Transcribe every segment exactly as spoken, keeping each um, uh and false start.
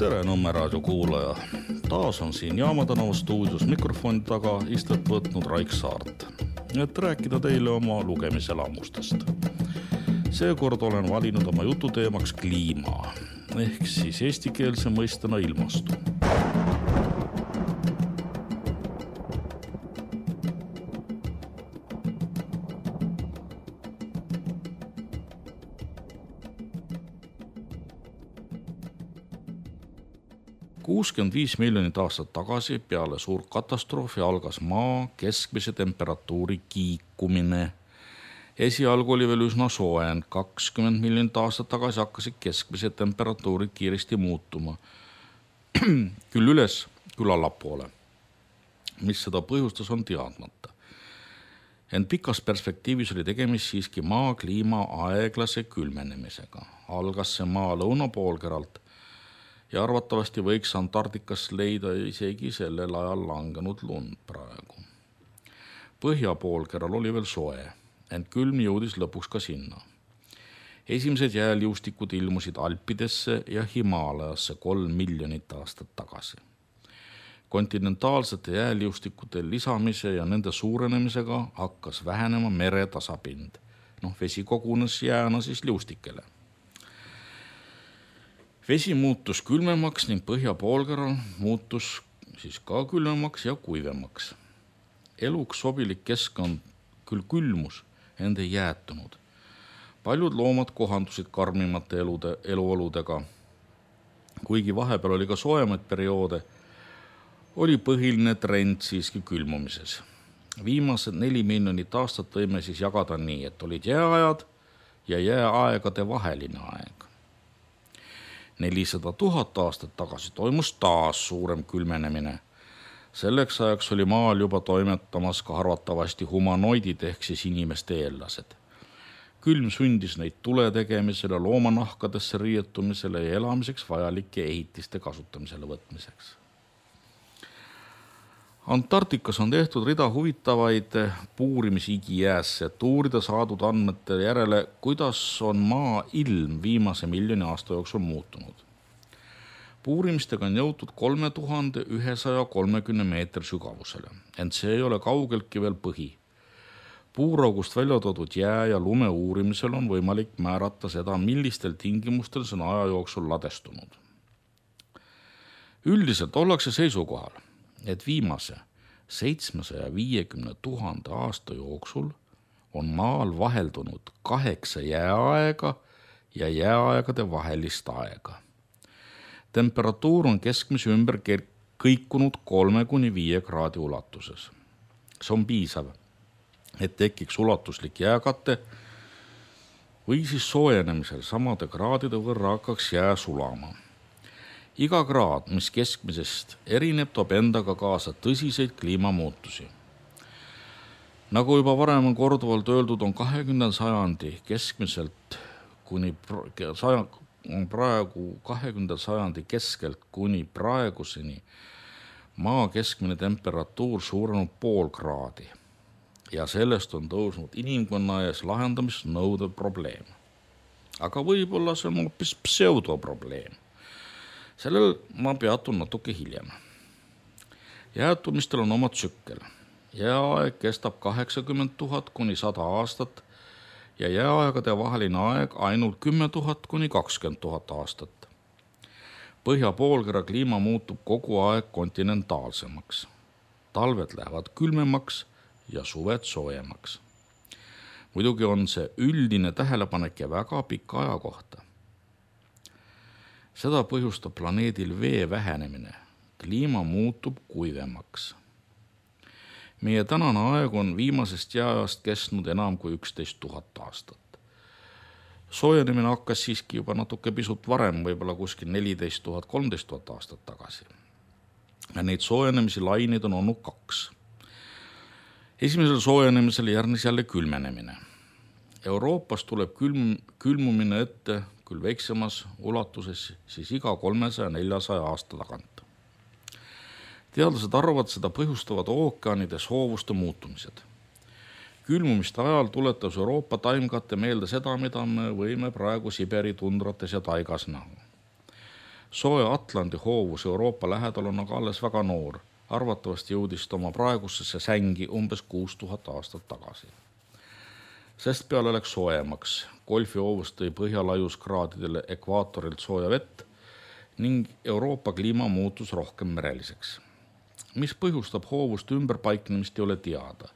Tere Nõmme raadio kuulaja. Taas on siin Jaama tänava stuudios mikrofoni taga istet võtnud Raik Saart, et rääkida teile oma lugemiselamustest. Seekord olen valinud oma jututeemaks kliima, ehk siis eestikeelse mõistena ilmastu. kuuskümmend viis miljonit aastat tagasi peale suur katastroofi algas maa keskmise temperatuuri kiikumine. Esialgu oli veel üsna sooen, kakskümmend miljonit aastat tagasi hakkasid keskmised temperatuurid kiiresti muutuma. Küll üles, küll allapoole. Mis seda põhjustas, on teadmata. Ent pikas perspektiivis oli tegemist siiski maa kliima aeglase külmenemisega. Algas see maa lõunapoolkeralt ja arvatavasti võiks Antarktikas leida isegi sellel ajal langenud lund praegu. Põhjapoolkeral oli veel soe, ent külm jõudis lõpuks ka sinna. Esimesed jääliustikud ilmusid Alpidesse ja Himaalajasse kolm miljonit aastat tagasi. Kontinentaalsete jääliustikute lisamise ja nende suurenemisega hakkas vähenema mere tasapind. Noh, vesi kogunes jääna siis liustikele. Vesi muutus külmemaks ning põhjapoolkeral muutus siis ka külmemaks ja kuivemaks. Eluks sobilik keskkond küll külmus, ent ei jäätunud. Paljud loomad kohandusid karmimate elude, eluoludega. Kuigi vahepeal oli ka soojemaid perioode, oli põhiline trend siiski külmumises. Viimased neli miljonit aastat võime siis jagada nii, et olid jääajad ja jääaegade vaheline aeg. nelisada tuhat aastat tagasi toimus taas suurem külmenemine. Selleks ajaks oli maal juba toimetamas ka arvatavasti humanoidid ehk siis inimeste eellased. Külm sundis neid tule tegemisele, loomanahkadesse riietumisele ja elamiseks vajalike ehitiste kasutamisele võtmiseks. Antarktikas on tehtud rida huvitavaid puurimisi igijäässe, et uurida saadud andmete järele, kuidas on maa ilm viimase miljoni aasta jooksul muutunud. Puurimistega on jõutud kolme tuhande ühesaja kolmekümne meetri sügavusele, ent see ei ole kaugeltki veel põhi. Puuraugust välja toodud jää ja lume uurimisel on võimalik määrata seda, millistel tingimustel see on aja jooksul ladestunud. Üldiselt ollakse seisukohal, et viimase seitsmesaja viiekümne tuhande aasta jooksul on maal vaheldunud kaheksa jääaega ja jääaegade vahelist aega. Temperatuur on keskmise ümber kõikunud kolme kuni viie kraadi ulatuses. See on piisav, et tekiks ulatuslik jääkate või siis soojenemisel samade kraadide võrra hakkaks jää sulama. Iga kraad, mis keskmisest erineb, toob endaga kaasa tõsiseid kliimamuutusi. Nagu juba varem on korduvalt öeldud, on kahekümnenda sajandi keskmiselt kuni on praegu kahekümnenda sajandi keskelt kuni praeguseni maa keskmine temperatuur suurenud pool kraadi ja sellest on tõusnud inimkonna ees lahendamist nõudev probleem. Aga võib-olla see on hoopis pseudoprobleem. Sellel ma peatun natuke hiljem. Jäätumistel on oma tsükkel. Jääaeg kestab kaheksakümmend tuhat kuni sada aastat ja jääaegade vaheline aeg ainult kümme tuhat kuni kakskümmend tuhat aastat. Põhjapoolkera kliima muutub kogu aeg kontinentaalsemaks. Talved lähevad külmemaks ja suved soojemaks. Muidugi on see üldine tähelepanek ja väga pika aja kohta. Seda põhjustab planeedil vee vähenemine. Kliima muutub kuivemaks. Meie tänane aeg on viimasest jääajast kestnud enam kui üksteist tuhat aastat. Soojenemine hakkas siiski juba natuke pisut varem, võib-olla kuskil neliteist tuhat, kolmteist tuhat aastat tagasi. Ja neid soojenemisi laineid on olnud kaks. Esimesel soojenemisel järgnes jälle külmenemine. Euroopas tuleb külm, külmumine ette küll väiksemas ulatuses siis iga kolmesaja neljasaja aasta tagant. Teadlased arvavad, seda põhjustavad ookeanide soovuste muutumised. Külmumiste ajal tuletas Euroopa taimkate meelde seda, mida me võime praegu Siberi tundrates ja taigas näha. Sooja Atlandi hoovus Euroopa lähedal on aga alles väga noor. Arvatavasti jõudis ta oma praegusesse sängi umbes kuus tuhat aastat tagasi. Sest peale läks soojemaks. Golfi hoovus tõi põhjalaiuskraadidele ekvaatorilt sooja vett ning Euroopa kliima muutus rohkem mereliseks. Mis põhjustab hoovust ümberpaiknemist ei ole teada.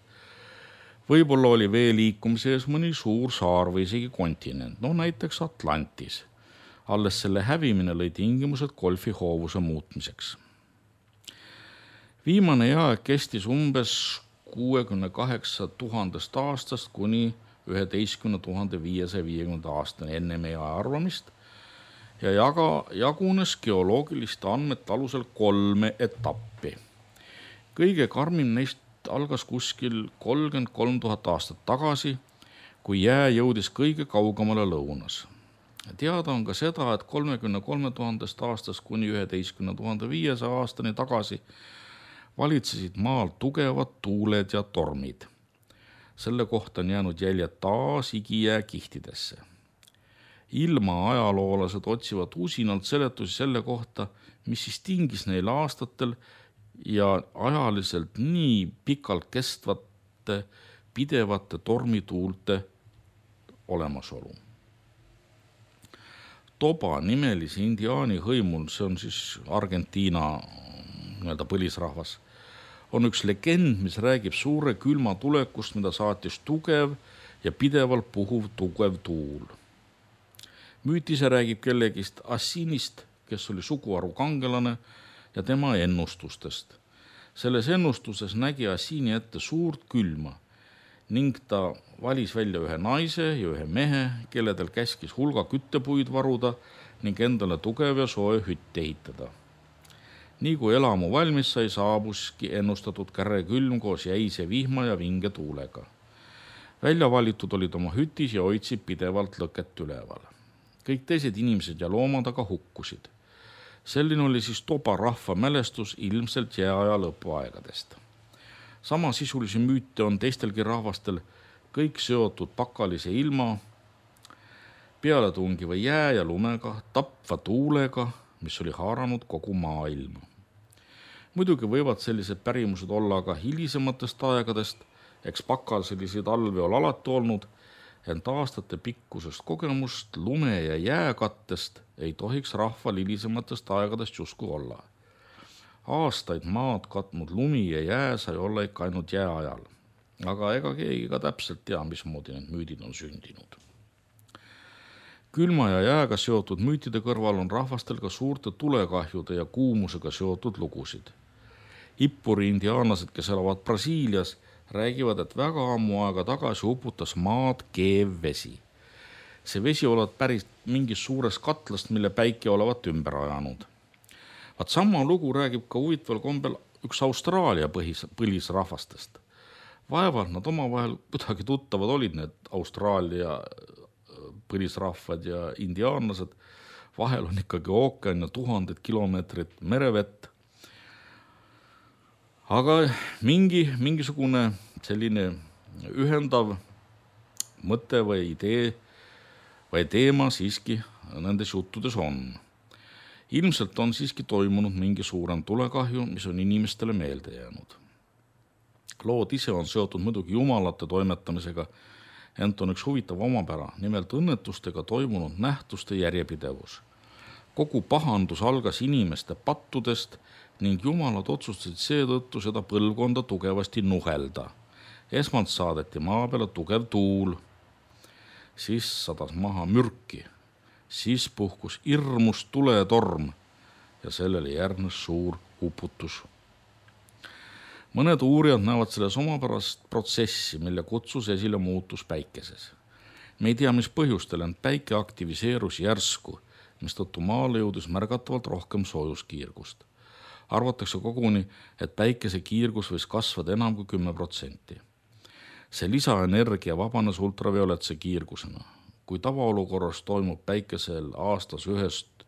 Võib-olla oli vee liikumise ees mõni suur saar või isegi kontinent, no näiteks Atlantis. Alles selle hävimine lõi tingimused golfi hoovuse muutmiseks. Viimane jääaeg kestis umbes kuuekümne kaheksa tuhandest aastast kuni üheteistkümne tuhande viiesaja viiekümnenda aastani enne meie arvamist ja jaga, jagunes geoloogiliste andmete alusel kolme etappi. Kõige karmim neist algas kuskil kolmkümmend kolm tuhat aastat tagasi, kui jää jõudis kõige kaugemale lõunas. Teada on ka seda, et kolmekümne kolme tuhandest aastast kuni üheteistkümne tuhande viiesaja aastani tagasi valitsesid maal tugevad tuuled ja tormid. Selle kohta on jäänud jäljed taas igijää kihtidesse. Ilma ajaloolased otsivad usinalt seletusi selle kohta, mis siis tingis neil aastatel ja ajaliselt nii pikalt kestvate pidevate tormituulte olemasolu. Toba nimelise indiaani hõimul, see on siis Argentiina nii-öelda põlisrahvas, on üks legend, mis räägib suure külma tulekust, mida saatis tugev ja pidevalt puhuv tugev tuul. Müütise räägib kellegist Assinist, kes oli suguharu kangelane ja tema ennustustest. Selles ennustuses nägi Assini ette suurt külma ning ta valis välja ühe naise ja ühe mehe, kelledel käskis hulga küttepuid varuda ning endale tugev ja soe hütt ehitada. Nii kui elamu valmis sai, saabuski ennustatud kärre külm koos jäise vihma ja vinge tuulega. Välja valitud olid oma hütis ja hoidsid pidevalt lõket üleval. Kõik teised inimesed ja loomad aga hukkusid. Selline oli siis Toba rahva mälestus ilmselt jääaja lõpuaegadest. Sama sisulisi müüte on teistelgi rahvastel, kõik seotud pakalise ilma, pealetungiva jää ja lumega, tapva tuulega, mis oli haaranud kogu maailma. Muidugi võivad sellised pärimused olla aga hilisematest aegadest, eks pakal selliseid alve ole alati olnud, ent aastate pikkusest kogemust lume ja jääkattest ei tohiks rahval hilisematest aegadest justkui olla. Aastaid maad katnud lumi ja jää sai olla ikka ainult jääajal, aga ega keegi ka täpselt tea, mismoodi need müüdid on sündinud. Külma ja jääga seotud müütide kõrval on rahvastel ka suurte tulekahjude ja kuumusega seotud lugusid. Ippuri indiaanlased, kes elavad Brasiilias, räägivad, et väga ammu aega tagasi uputas maad keev vesi. See vesi olevat päris mingis suures katlast, mille päike olevat ümber ajanud. Vaat sama lugu räägib ka huvitaval kombel üks Austraalia põhis, põlisrahvastest. Vaevalt nad omavahel kuidagi tuttavad olid need Austraalia põlisrahvad ja indiaanlased. Vahel on ikkagi ookean ja tuhanded kilomeetrid merevett. Aga mingi, mingisugune selline ühendav mõte või idee või teema siiski nendes juttudes on. Ilmselt on siiski toimunud mingi suurem tulekahju, mis on inimestele meelde jäänud. Lood ise on seotud muidugi jumalate toimetamisega, ent on üks huvitav omapära, nimelt õnnetustega toimunud nähtuste järjepidevus. Kogu pahandus algas inimeste pattudest ning jumalad otsustasid seetõttu seda põlvkonda tugevasti nuhelda. Esmalt saadeti maa peale tugev tuul, siis sadas maha mürki, siis puhkus irmus tuletorm ja sellele järgnes suur uputus. Mõned uurijad näevad selles omapärast protsessi, mille kutsus esile muutus päikeses. Me ei tea, mis põhjustel, ent päike aktiviseerus järsku, mistõttu maale jõudis märgatavalt rohkem soojuskiirgust. Arvatakse koguni, et päikese kiirgus võis kasvada enam kui kümme protsenti. See lisaenergia vabanes ultravioletse kiirgusena. Kui tavaolukorras toimub päikesel aastas ühest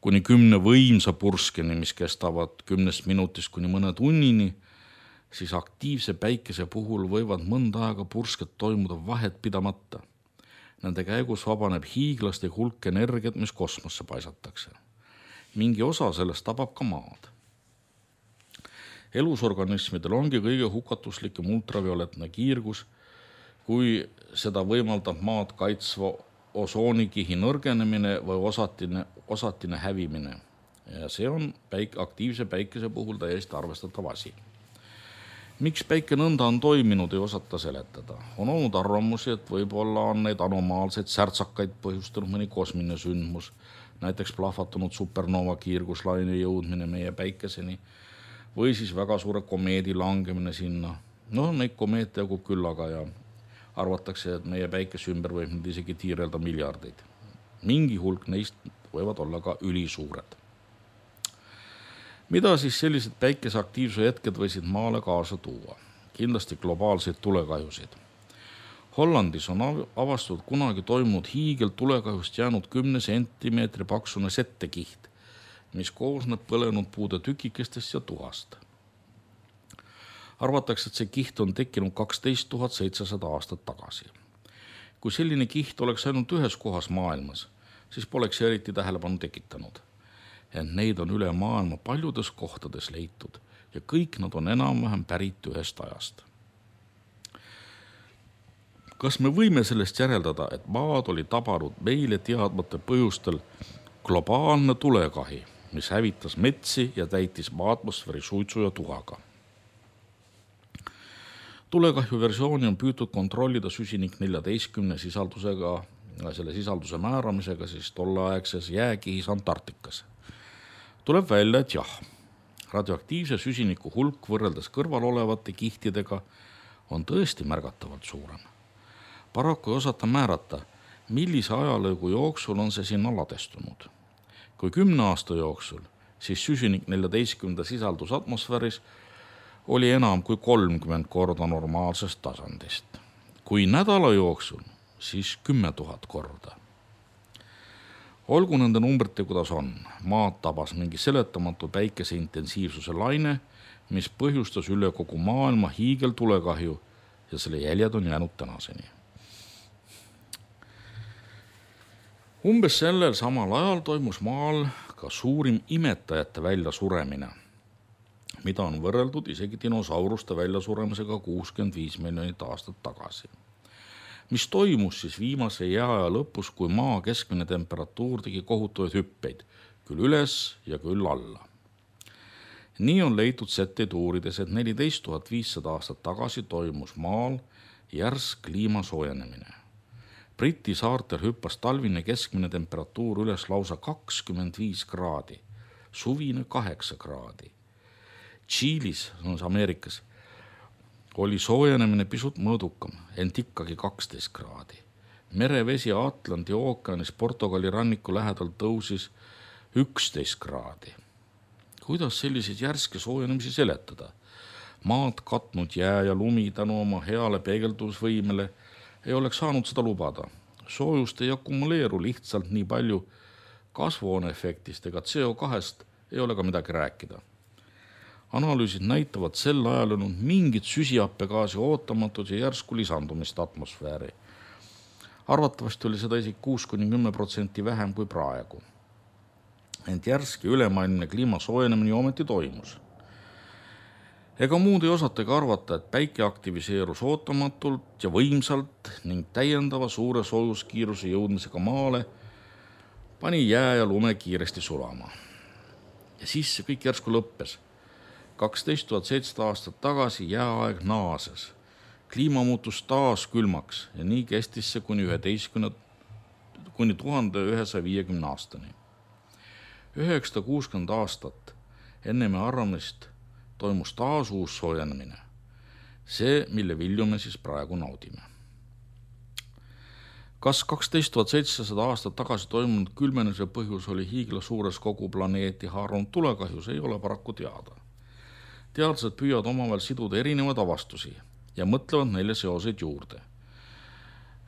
kuni kümne võimsa purskeni, mis kestavad kümnest minutist kuni mõne tunnini, siis aktiivse päikese puhul võivad mõnda aega pursked toimuda vahet pidamata. Nende käigus vabaneb hiiglaste hulk energiat, mis kosmosse paisatakse. mingi osa sellest tabab ka maad. Elusorganismidel ongi kõige hukatuslikum ultravioletne kiirgus, kui seda võimaldab maad kaitsva osoonikihi nõrgenemine või osatine, osatine hävimine. Ja see on päik, aktiivse päikese puhul täiesti arvestatav asi. Miks päike nõnda on toiminud, ei osata seletada. On olnud arvamusi, et võib-olla on neid anomaalseid särtsakaid põhjustanud mõni kosmiline sündmus, näiteks plahvatunud supernova kiirguslaine jõudmine meie päikeseni või siis väga suure komeedi langemine sinna. No neid komeete jagub küllaga ja arvatakse, et meie päikese ümber võib nüüd isegi tiirelda miljardeid. Mingi hulk neist võivad olla ka ülisuured. Mida siis sellised päikeseaktiivsuse hetked võisid maale kaasa tuua? Kindlasti globaalseid tulekahjusid. Hollandis on avastatud kunagi toimunud hiigel tulekahjust jäänud kümne sentimeetri paksune settekiht, mis koosneb põlenud puude tükikestest ja tuhast. Arvatakse, et see kiht on tekkinud kaksteist tuhat seitsesada aastat tagasi. Kui selline kiht oleks ainult ühes kohas maailmas, siis poleks eriti tähelepanu tekitanud. Ent neid on üle maailma paljudes kohtades leitud ja kõik nad on enam-vähem pärit ühest ajast. Kas me võime sellest järeldada, et maad oli tabanud meile teadmata põhjustel globaalne tulekahi, mis hävitas metsi ja täitis atmosfääri suitsu ja tuhaga? Tulekahju versiooni on püütud kontrollida süsinik neljateistkümne sisaldusega, selle sisalduse määramisega siis tolleaegses jääkihis Antarktikas. Tuleb välja, et jah, radioaktiivse süsiniku hulk võrreldes kõrval olevate kihtidega on tõesti märgatavalt suurem. Paraku ei osata määrata, millise ajalõigu jooksul on see sinna ladestunud. Kui kümne aasta jooksul, siis süsinik neljateistkümnenda sisaldus atmosfääris oli enam kui kolmkümmend korda normaalsest tasandist. Kui nädala jooksul, siis kümme tuhat korda. Olgu nende numbrite, kuidas on. Maad tabas mingi seletamatu päikese intensiivsuse laine, mis põhjustas üle kogu maailma hiigel tulekahju ja selle jäljed on jäänud tänaseni. Umbes sellel samal ajal toimus maal ka suurim imetajate väljasuremine, mida on võrreldud isegi dinosauruste väljasuremisega kuuskümmend viis miljonit aastat tagasi. Mis toimus siis viimase jääaja lõpus, kui maa keskmine temperatuur tegi kohutavaid hüppeid, küll üles ja küll alla. Nii on leitud setteid uurides, et neliteist tuhat viissada aastat tagasi toimus maal järsk kliima soojenemine. Briti saartel hüppas talvine keskmine temperatuur üles lausa kakskümmend viis kraadi, suvine kaheksa kraadi. Tšiilis, Ameerikas, oli soojenemine pisut mõõdukam, ent ikkagi kaksteist kraadi. Merevesi Atlandi ookeanis Portugali ranniku lähedal tõusis üksteist kraadi. Kuidas selliseid järske soojenemisi seletada? Maad katnud jää ja lumi tänu oma heale peegeldusvõimele ei oleks saanud seda lubada. Soojust ei akumuleeru lihtsalt nii palju, kasvuhooneefektist ega C O kahest ei ole ka midagi rääkida. Analüüsid näitavad sel ajal olnud mingit süsihappegaasi ootamatud ja järsku lisandumist atmosfääri. Arvatavasti oli seda isegi kuus kuni kümme protsenti vähem kui praegu. Ent järski ülemaailmne kliima soojenemine ometi toimus. Ega muud ei osatagi arvata, et päike aktiviseerus ootamatult ja võimsalt ning täiendava suure soojuskiiruse jõudmisega maale pani jää ja lume kiiresti sulama. Ja siis see kõik järsku lõppes. kaksteist tuhat seitsesada aastat tagasi jääaeg naases. Kliima muutus taas külmaks ja nii kestis see kuni üheteistkümne kuni tuhande ühesaja viiekümne aastani. üheksasada kuuskümmend aastat enne me arvamist toimus taas uus soojenemine. See, mille vilju me siis praegu naudime. Kas kaksteist tuhat seitsesada aastat tagasi toimunud külmenemise põhjus oli hiigla suures kogu planeeti haarunud tulekahjus, ei ole paraku teada. Teadlased püüavad omavahel siduda erinevaid avastusi ja mõtlevad neile seoseid juurde.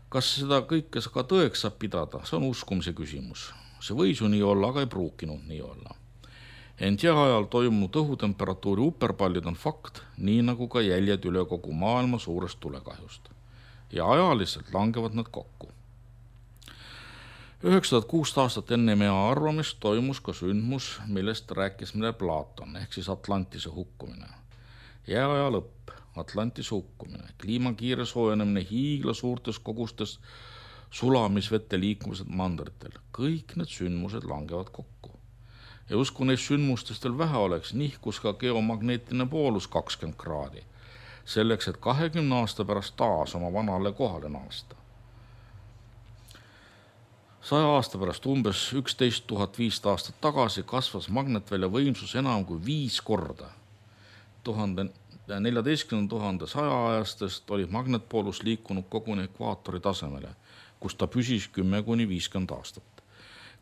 Kas seda kõike ka tõeks saab pidada, see on uskumise küsimus. See võis ju nii olla, aga ei pruukinud nii olla. Ent jääajal toimunud õhutemperatuuri uperpallid on fakt, nii nagu ka jäljed üle kogu maailma suurest tulekahjust. Ja ajaliselt langevad nad kokku. üheksasada kuus aastat enne meie arvamist toimus ka sündmus, millest rääkis meile Platon, ehk siis Atlantise hukkumine. Jääaja lõpp, Atlantise hukkumine, kliimakiire soojenemine, hiigla suurtes kogustes sulamisvete liikumised mandritel. Kõik need sündmused langevad kokku. Ja usku neist sündmustest veel vähe oleks, nihkus ka geomagneetiline poolus kakskümmend kraadi, selleks, et kahekümne aasta pärast taas oma vanale kohale naasta. Saja aasta pärast umbes üksteist tuhat viissada aastat tagasi kasvas magnetvälja võimsus enam kui viis korda. tuhande neljateistkümne tuhande saja ajastest oli magnetpoolus liikunud koguni ekvaatori tasemele, kus ta püsis kümme kuni viiskümmend aastat.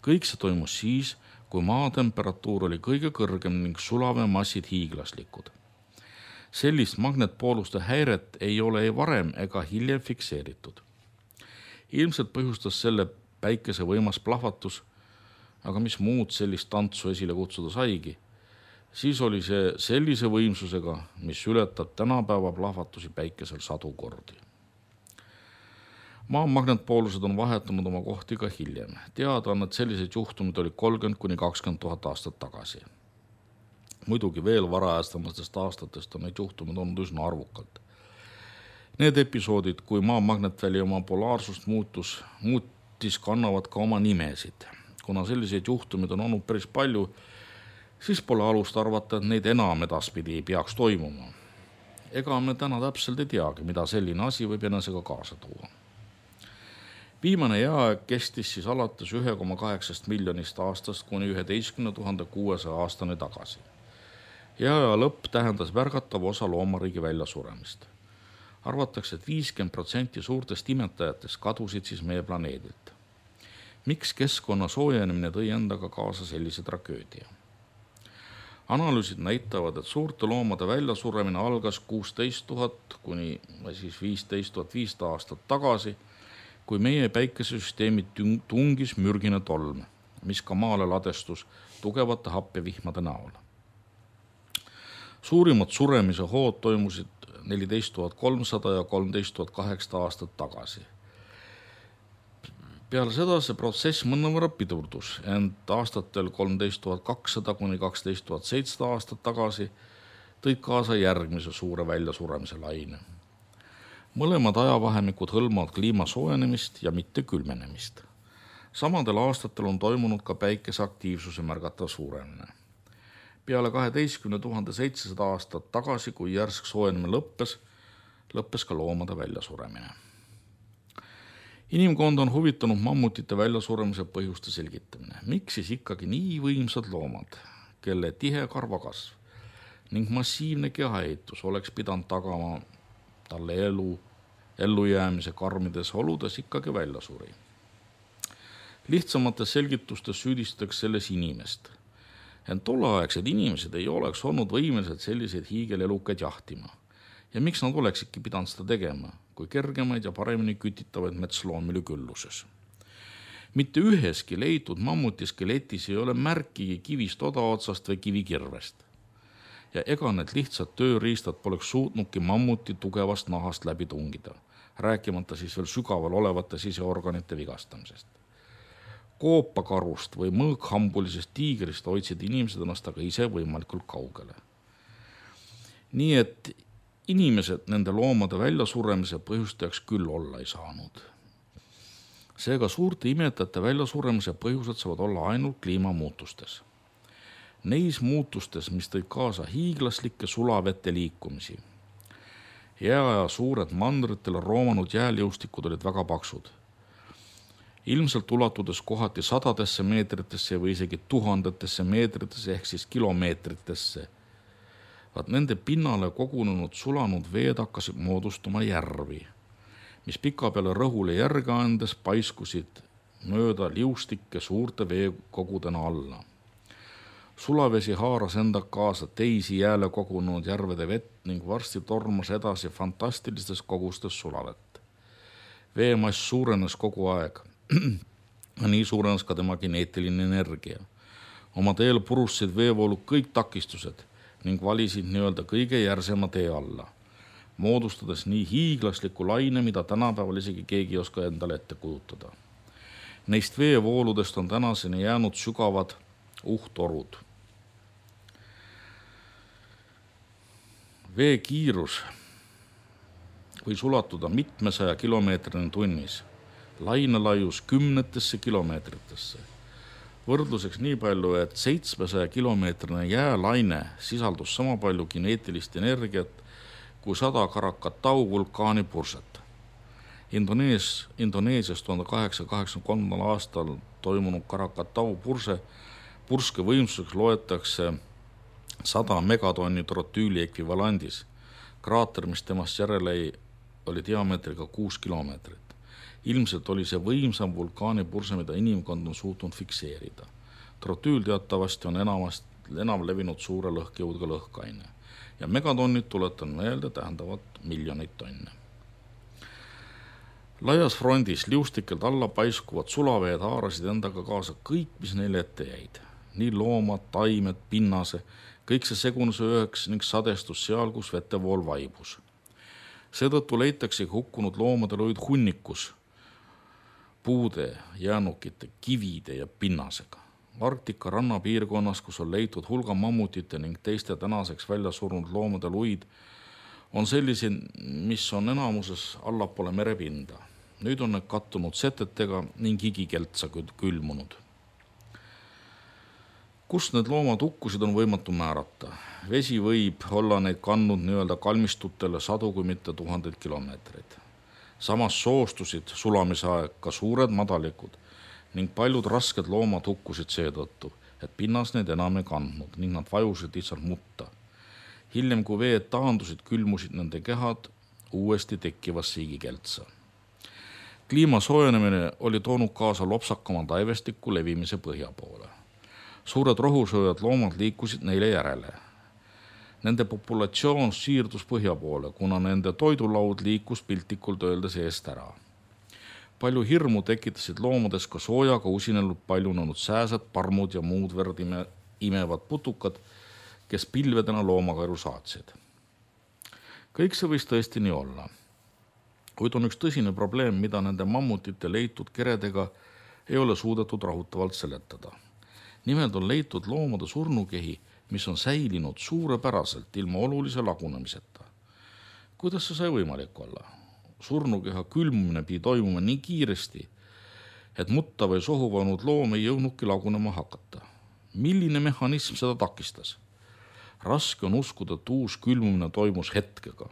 Kõik see toimus siis, kui maa temperatuur oli kõige kõrgem ning sulavemassid hiiglaslikud. Sellist magnetpooluste häiret ei ole ei varem ega hiljem fikseeritud. Ilmselt põhjustas selle päikese võimas plahvatus, aga mis muud sellist tantsu esile kutsuda saigi, siis oli see sellise võimsusega, mis ületab tänapäeva plahvatusi päikesel sadu kordi. Maa magnetpoolused on vahetanud oma kohti ka hiljem. Teada on, et selliseid juhtumid oli kolmkümmend kuni kakskümmend tuhat aastat tagasi. Muidugi veel varajastamisest aastatest on neid juhtumid olnud üsna arvukalt. Need episoodid, kui maa magnetväli oma polaarsust muutus, muutis, kannavad ka oma nimesid. Kuna selliseid juhtumid on olnud päris palju, siis pole alust arvata, et neid enam edaspidi ei peaks toimuma. Ega me täna täpselt ei teagi, mida selline asi võib enesega kaasa tuua. Viimane jääaeg kestis siis alates üks koma kaheksa miljonist aastast kuni üheteistkümne tuhande kuuesaja aastani tagasi. Jääaja lõpp tähendas märgatav osa loomariigi väljasuremist. Arvatakse, et viiskümmend protsenti suurtest imetajatest kadusid siis meie planeedilt. Miks keskkonna soojenemine tõi endaga kaasa sellise tragöödia? Analüüsid näitavad, et suurte loomade väljasuremine algas kuusteist tuhat kuni siis viisteist tuhat viissada aastat tagasi, kui meie päikesesüsteemi tungis mürgine tolm, mis ka maale ladestus tugevate happevihmade näol. Suurimad suremise hood toimusid neliteist tuhat kolmsada ja kolmteist tuhat kaheksasada aastat tagasi. Peale seda see protsess mõnevõrra pidurdus, ent aastatel kolmteist tuhat kakssada kuni kaksteist tuhat seitsesada aastat tagasi tõid kaasa järgmise suure väljasuremise laine. Mõlemad ajavahemikud hõlmavad kliima soojenemist ja mitte külmenemist. Samadel aastatel on toimunud ka päikese aktiivsuse märgatav suuremine. Peale kaheteistkümne tuhande seitsesada aastat tagasi, kui järsk soojenemine lõppes, lõppes ka loomade väljasuremine. Inimkond on huvitanud mammutite väljasuremise põhjuste selgitamine. Miks siis ikkagi nii võimsad loomad, kelle tihe karvakasv ning massiivne kehaehitus oleks pidanud tagama talle elu, ellujäämise karmides oludes ikkagi väljasuri? Lihtsamates selgitustes süüdistatakse selles inimest. Ent tolleaegsed inimesed ei oleks olnud võimelised selliseid hiigelelukaid jahtima. Ja miks nad oleksidki pidanud seda tegema, kui kergemaid ja paremini kütitavaid metsloomi oli külluses? Mitte üheski leitud mammuti skeletis ei ole märkigi kivist odaotsast või kivikirvest. Ja ega need lihtsad tööriistad poleks suutnudki mammuti tugevast nahast läbi tungida, rääkimata siis veel sügaval olevate siseorganite vigastamisest. Koopakarust või mõõkhambulisest tiigrist hoidsid inimesed ennast aga ise võimalikult kaugele. Nii et inimesed nende loomade väljasuremise põhjustajaks küll olla ei saanud. Seega suurte imetajate väljasuremise põhjused saavad olla ainult kliimamuutustes. Neis muutustes, mis tõid kaasa hiiglaslikke sulavete liikumisi. Jääaja suured mandritele roomanud jääliustikud olid väga paksud. Ilmselt ulatudes kohati sadadesse meetritesse või isegi tuhandetesse meetritesse ehk siis kilomeetritesse. Vaat nende pinnale kogunenud sulanud veed hakkasid moodustuma järvi, mis pika peale rõhule järge andes paiskusid mööda liustikke suurte veekogudena alla. Sulavesi haaras enda kaasa teisi jääle kogunenud järvede vett ning varsti tormas edasi fantastilistes kogustes sulavett. Veemass suurenes kogu aeg. Nii suurenes ka tema geneetiline energia. Oma teel purustasid veevoolu kõik takistused ning valisid nii-öelda kõige järsema tee alla, moodustades nii hiiglasliku laine, mida tänapäeval isegi keegi ei oska endale ette kujutada. Neist veevooludest on tänaseni jäänud sügavad uhtorud. Vee kiirus võis ulatuda mitmesaja kilomeetrini tunnis, lainelaius kümnetesse kilomeetritesse. Võrdluseks nii palju, et seitsmesaja kilomeetrine jäälaine sisaldus sama palju kineetilist energiat kui sada Krakatau vulkaani purset. Indonees, Indoneesias tuhande kaheksasaja kaheksakümne kolmandal aastal toimunud Krakatau purse, purske võimsuseks loetakse sada megatonni trotüüli ekvivalandis. Kraater, mis temast järele ei, oli diameetriga kuus kilomeetrit. Ilmselt oli see võimsam vulkaani purse, mida inimkond on suutnud fikseerida. Trotüül teatavasti on enamast, enam levinud suure lõhkejõudega lõhkaine ja megatonnid, tuletan meelde, tähendavad miljoneid tonne. Laias frontis liustikelt alla paiskuvad sulaveed haarasid endaga kaasa kõik, mis neile ette jäid. Nii loomad, taimed, pinnase, kõik see segunes üheks ning sadestus seal, kus vetevool vaibus. Seetõttu leitakse hukkunud loomadel olid hunnikus puude, jäänukite, kivide ja pinnasega. Arktika rannapiirkonnas, kus on leitud hulga mammutite ning teiste tänaseks välja surnud loomade luid, on sellised, mis on enamuses allapoole merepinda. Nüüd on need kattunud setetega ning higikeltsa külmunud. Kus need loomad hukkusid, on võimatu määrata. Vesi võib olla neid kandnud nii-öelda kalmistutele sadu kui mitte tuhandeid kilomeetreid. Samas soostusid sulamise aeg ka suured madalikud ning paljud rasked loomad hukkusid seetõttu, et pinnas neid enam ei kandnud ning nad vajusid lihtsalt mutta. Hiljem, kui veed taandusid, külmusid nende kehad uuesti tekkivas siigikeltsa. Kliima soojenemine oli toonud kaasa lopsakama taivestiku levimise põhja poole. Suured rohusööjad loomad liikusid neile järele. Nende populatsioon siirdus põhja poole, kuna nende toidulaud liikus piltlikult öeldes eest ära. Palju hirmu tekitasid loomades ka soojaga usinelnud paljunenud sääsed, parmud ja muud verd ime, imevad putukad, kes pilvedena loomakaeru saatsid. Kõik see võis tõesti nii olla. Kuid on üks tõsine probleem, mida nende mammutite leitud keredega ei ole suudetud rahutavalt seletada. Nimelt on leitud loomade surnukehi, mis on säilinud suurepäraselt ilma olulise lagunemiseta. Kuidas see sai võimalik olla? Surnukeha külmumine pidi toimuma nii kiiresti, et mutta või sohuvanud loom ei jõudnudki lagunema hakata. Milline mehhanism seda takistas? Raske on uskuda, et uus külmumine toimus hetkega.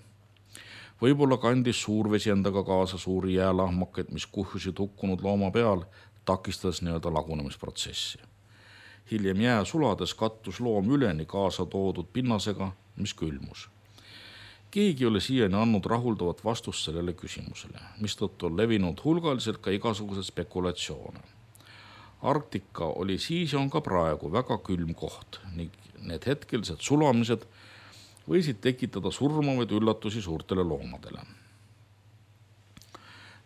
Võib-olla kandis suurvesi endaga kaasa suuri jäälahmakaid, mis kuhjusid hukkunud looma peal, takistades nii-öelda lagunemisprotsessi. Hiljem jää sulades kattus loom üleni kaasa toodud pinnasega, mis külmus. Keegi oli siiani andnud rahuldavat vastust sellele küsimusele, mistõttu on levinud hulgaliselt ka igasugused spekulatsioone. Arktika oli siis ja on ka praegu väga külm koht ning need hetkelised sulamised võisid tekitada surmavaid üllatusi suurtele loomadele.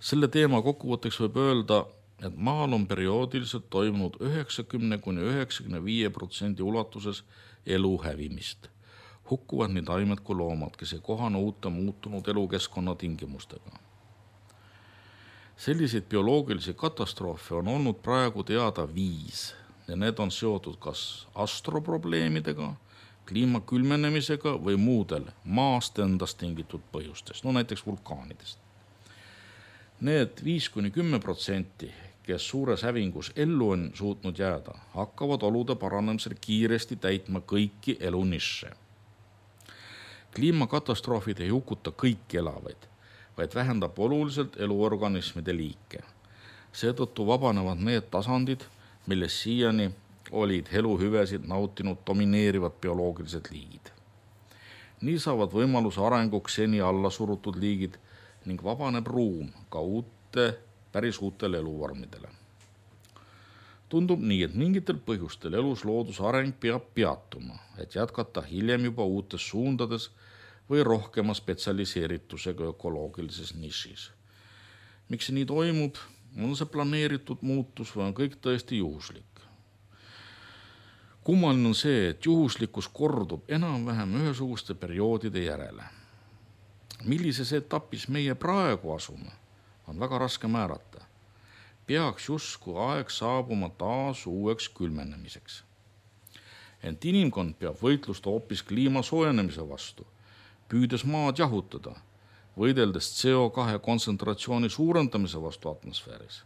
Selle teema kokkuvõtteks võib öelda, et maal on perioodiliselt toimunud üheksakümne kuni üheksakümne viie protsendi ulatuses elu hävimist. Hukkuvad nii taimed kui loomad, kes ei kohane uute muutunud elukeskkonna tingimustega. Selliseid bioloogilisi katastroofe on olnud praegu teada viis ja need on seotud kas astroprobleemidega, kliima külmenemisega või muudel maast endast tingitud põhjustest, no näiteks vulkaanidest. Need viis kuni kümme protsenti, kes suures hävingus ellu on suutnud jääda, hakkavad olude paranemisel kiiresti täitma kõiki elunišše. Kliimakatastroofid ei hukuta kõiki elavaid, vaid vähendab oluliselt eluorganismide liike. Seetõttu vabanevad need tasandid, milles siiani olid eluhüvesid nautinud domineerivad bioloogilised liigid. Nii saavad võimaluse arenguks seni alla surutud liigid ning vabaneb ruum ka uute, päris uutele eluvormidele. Tundub nii, et mingitel põhjustel elus looduse areng peab peatuma, et jätkata hiljem juba uutes suundades või rohkema spetsialiseeritusega ökoloogilises nišis. Miks see nii toimub? On see planeeritud muutus või on kõik tõesti juhuslik? Kummaline on see, et juhuslikkus kordub enam-vähem ühesuguste perioodide järele. Millises etapis meie praegu asume, on väga raske määrata. peaks justkui aeg saabuma taas uueks külmenemiseks. Ent inimkond peab võitlust hoopis kliima soojenemise vastu, püüdes maad jahutada, võideldes C O kahe kontsentratsiooni suurendamise vastu atmosfääris.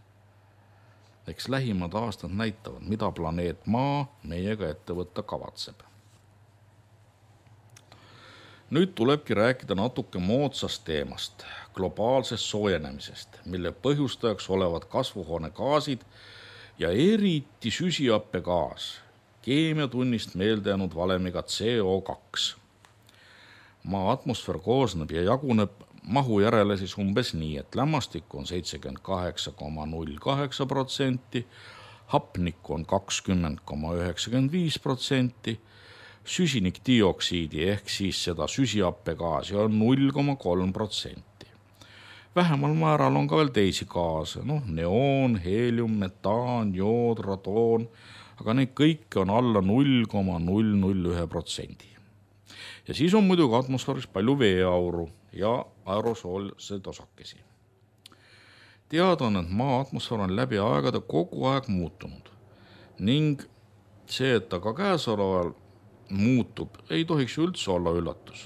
Eks lähimad aastad näitavad, mida planeet Maa meiega ette võtta kavatseb. Nüüd tulebki rääkida natuke moodsast teemast, globaalsest soojenemisest, mille põhjustajaks olevad kasvuhoonegaasid ja eriti süsihappegaas, keemiatunnist meelde jäänud valemiga C O kaks. Maa atmosfäär koosneb ja jaguneb mahu järele siis umbes nii, et lämmastik on seitsekümmend kaheksa koma null kaheksa protsenti, hapnikku on kakskümmend koma üheksakümmend viis protsenti, süsinikdioksiidi ehk siis seda süsihappegaasi on null koma kolm protsenti. Vähemal määral on ka veel teisi gaase, noh, neoon, heelium, metaan, jood, radoon, aga neid kõike on alla null koma null null üks protsendi. Ja siis on muidugi atmosfääris palju veeauru ja aerosoolseid osakesi. Teada on, et Maa atmosfäär on läbi aegade kogu aeg muutunud ning see, et ta ka käesoleval muutub, ei tohiks üldse olla üllatus.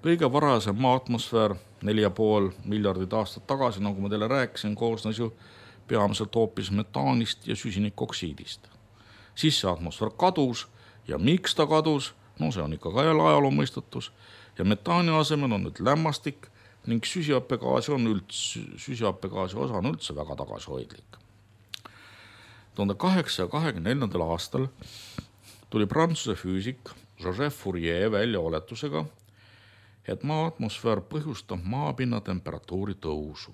Kõige varasem Maa atmosfäär neli ja pool miljardit aastat tagasi, nagu ma teile rääkisin, koosnes ju peamiselt hoopis metaanist ja süsinikoksiidist. Siis see atmosfäär kadus ja miks ta kadus? No see on ikka ka jälle ajaloo mõistatus ja metaani asemel on nüüd lämmastik ning süsihappegaasi on üldse, süsihappegaasi osa on üldse väga tagasihoidlik. tuhande kaheksasaja kahekümne neljandal aastal tuli prantsuse füüsik Joseph Fourier välja oletusega, et Maa atmosfäär põhjustab maapinna temperatuuri tõusu.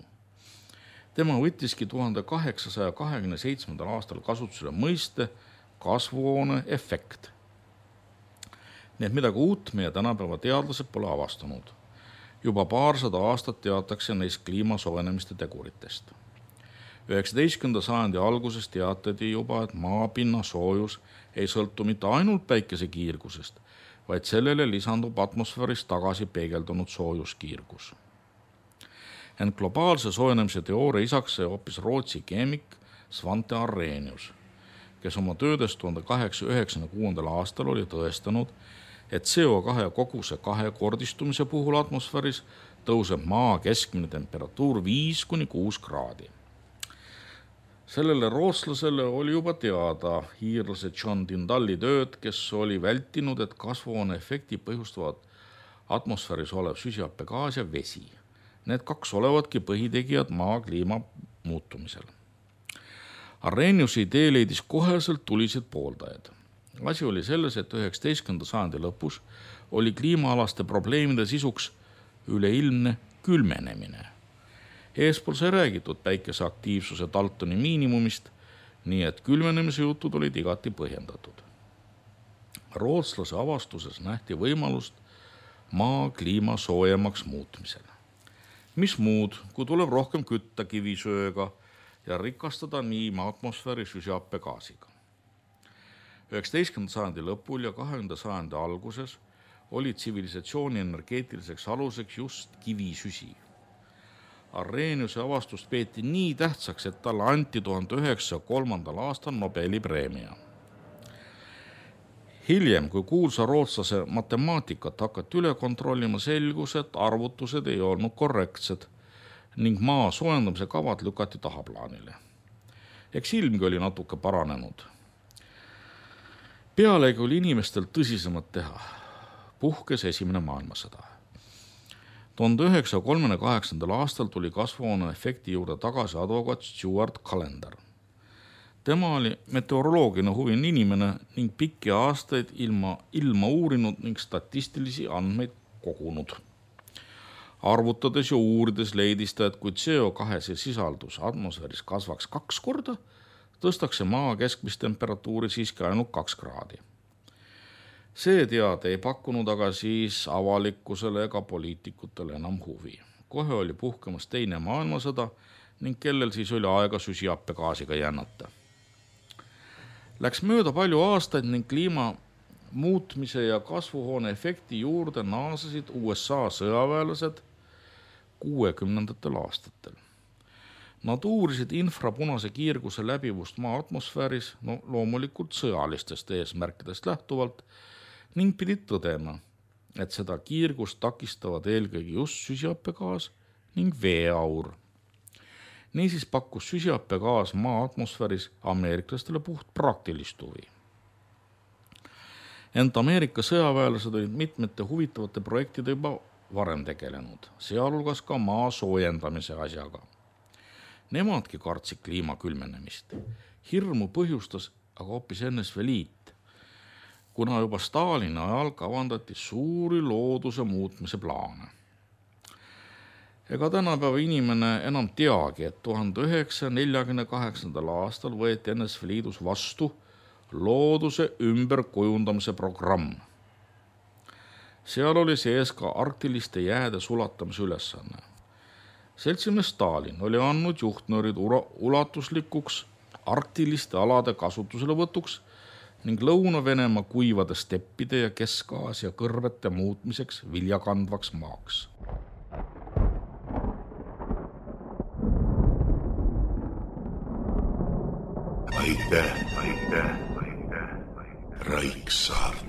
Tema võttiski tuhande kaheksasaja kahekümne seitsmendal aastal kasutusele mõiste kasvuhoone efekt. Nii et midagi uut meie tänapäeva teadlased pole avastanud. Juba paarsada aastat teatakse neist kliima soojenemiste teguritest. üheksateistkümnenda sajandi alguses teatati juba, et maapinna soojus ei sõltu mitte ainult päikese kiirgusest, vaid sellele lisandub atmosfääris tagasi peegeldunud soojuskiirgus. Ent globaalse soojenemise teooria isaks sai hoopis Rootsi keemik Svante Arrhenius, kes oma töödes tuhande kaheksasaja üheksakümne kuuendal aastal oli tõestanud, et C O kahe koguse kahekordistumise puhul atmosfääris tõuseb Maa keskmine temperatuur viis kuni kuus kraadi. Sellele rootslasele oli juba teada hiirlase John Tyndalli tööd, kes oli vältinud, et kasvuhoone efekti põhjustavad atmosfääris olev süsihappegaas ja vesi. Need kaks olevadki põhitegijad Maa kliima muutumisel. Arrheniuse idee leidis koheselt tulised pooldajaid. Asi oli selles, et üheksateistkümnenda sajandi lõpus oli kliimaalaste probleemide sisuks üleilmne külmenemine. Eespool sai räägitud päikese aktiivsuse Daltoni miinimumist, nii et külmenemise jutud olid igati põhjendatud. Rootslase avastuses nähti võimalust Maa kliima soojemaks muutmisel. Mis muud, kui tuleb rohkem kütta kivisööga ja rikastada nii atmosfääri süsihappegaasiga. üheksateistkümnenda sajandi lõpul ja kahekümnenda sajandi alguses oli tsivilisatsiooni energeetiliseks aluseks just kivisüsi. Arrheniuse avastust peeti nii tähtsaks, et talle anti tuhande üheksasaja kolmandal aastal Nobeli preemia. Hiljem, kui kuulsa rootslase matemaatikat hakati üle kontrollima, selgus, et arvutused ei olnud korrektsed ning Maa soojendamise kavad lükati tahaplaanile. Eks ilmgi oli natuke paranenud. Pealegi oli inimestel tõsisemad teha. Puhkes esimene maailmasõda. tuhande üheksasaja kolmekümne kaheksandal aastal tuli kasvuhoone efekti juurde tagasi advokaat Stuart Callender. Tema oli meteoroloogiline huviline inimene ning pikki aastaid ilma, ilma uurinud ning statistilisi andmeid kogunud. Arvutades ja uurides leidis ta, et kui C O kahe sisaldus atmosfääris kasvaks kaks korda, tõstakse Maa keskmist temperatuuri siiski ainult kaks kraadi. See teade ei pakkunud aga siis avalikkusele ega poliitikutele enam huvi. Kohe oli puhkemas teine maailmasõda ning kellel siis oli aega süsihappegaasiga jännata. Läks mööda palju aastaid ning kliima muutmise ja kasvuhoone efekti juurde naasesid U S A sõjaväelased kuuekümnendatel aastatel. Nad uurisid infrapunase kiirguse läbivust maa atmosfääris, no loomulikult sõjalistest eesmärkidest lähtuvalt, ning pidid tõdema, et seda kiirgust takistavad eelkõige just süsihappegaas ning veeaur. Niisiis pakkus süsihappegaas maa atmosfääris ameeriklastele puht praktilist huvi. Ent Ameerika sõjaväelased olid mitmete huvitavate projektide juba varem tegelenud, sealhulgas ka maa soojendamise asjaga. Nemadki kartsid kliima külmenemist. Hirmu põhjustas aga hoopis N S V Liit, kuna juba Stalini ajal kavandati suuri looduse muutmise plaane. Ega tänapäeva inimene enam teagi, et tuhande üheksasaja neljakümne kaheksandal aastal võeti N S V Liidus vastu looduse ümberkujundamise programm. Seal oli sees ka arktiliste jääde sulatamise ülesanne. Seltsimees Stalin oli andnud juhtnöörid ulatuslikuks arktiliste alade kasutusele võtuks ning Lõuna-Venemaa kuivade steppide ja Kesk-Aasia kõrvete muutmiseks viljakandvaks maaks. Aitäh, aitäh, aitäh, Raiksaart.